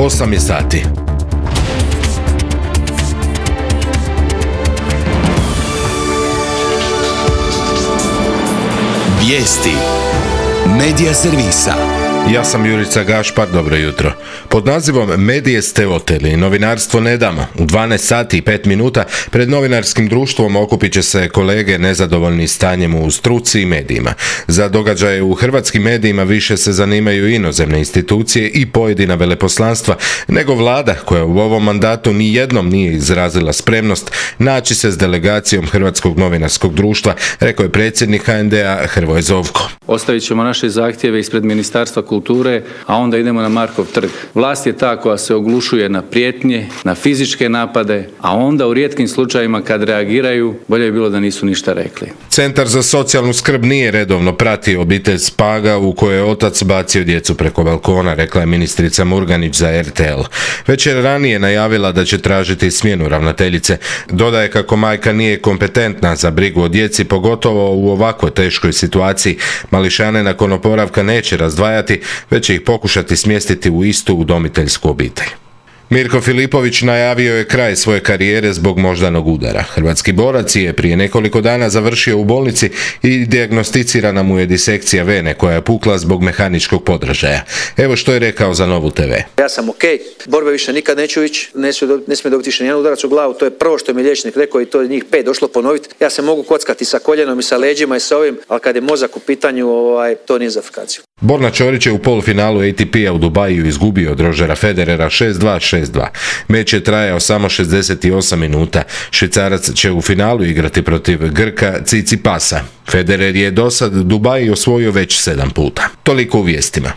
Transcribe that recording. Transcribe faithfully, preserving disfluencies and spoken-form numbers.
osam je sati. Vijesti Medija servisa. Ja sam Jurica Gašpar, dobro jutro. Pod nazivom Medije ste oteli, novinarstvo ne damo. U dvanaest sati i pet minuta pred novinarskim društvom okupit će se kolege nezadovoljni stanjem u struci i medijima. Za događaje u hrvatskim medijima više se zanimaju inozemne institucije i pojedina veleposlanstva nego vlada koja u ovom mandatu ni jednom nije izrazila spremnost naći se s delegacijom Hrvatskog novinarskog društva, rekao je predsjednik ha en de a Hrvoje Zovko. Ostavit ćemo naše zahtjeve ispred Ministarstva kulture, a onda idemo na Markov trg. Vlast je ta koja se oglušuje na prijetnje, na fizičke napade, a onda u rijetkim slučajevima kad reagiraju, bolje je bilo da nisu ništa rekli. Centar za socijalnu skrb nije redovno pratio obitelj Spaga u kojoj je otac bacio djecu preko balkona, rekla je ministrica Murganić za er te el. Već je ranije najavila da će tražiti smjenu ravnateljice. Dodaje kako majka nije kompetentna za brigu o djeci, pogotovo u ovakvoj teškoj situaciji. Mališane nakon oporavka neće razdvajati, već će ih pokušati smjestiti u istu udomiteljsku obitelj. Mirko Filipović najavio je kraj svoje karijere zbog moždanog udara. Hrvatski borac je prije nekoliko dana završio u bolnici i dijagnosticirana mu je disekcija vene koja je pukla zbog mehaničkog podražaja. Evo što je rekao za Novu te ve. Ja sam ok, borbe više nikad neću ići, ne smije dobiti više nijedan udarac u glavu, to je prvo što mi je liječnik rekao i to je njih pet došlo ponoviti. Ja se mogu kockati sa koljenom i sa leđima i sa ovim, ali kad je mozak u pitanju, ovaj, to nije za fikaciju. Borna Ćorić je u polufinalu a te pe-a u Dubaju izgubio od Rožera Federera šest dva šest dva. Meč je trajao samo šezdeset osam minuta. Švicarac će u finalu igrati protiv Grka Cicipasa. Federer je dosad Dubai osvojio već sedam puta. Toliko u vijestima.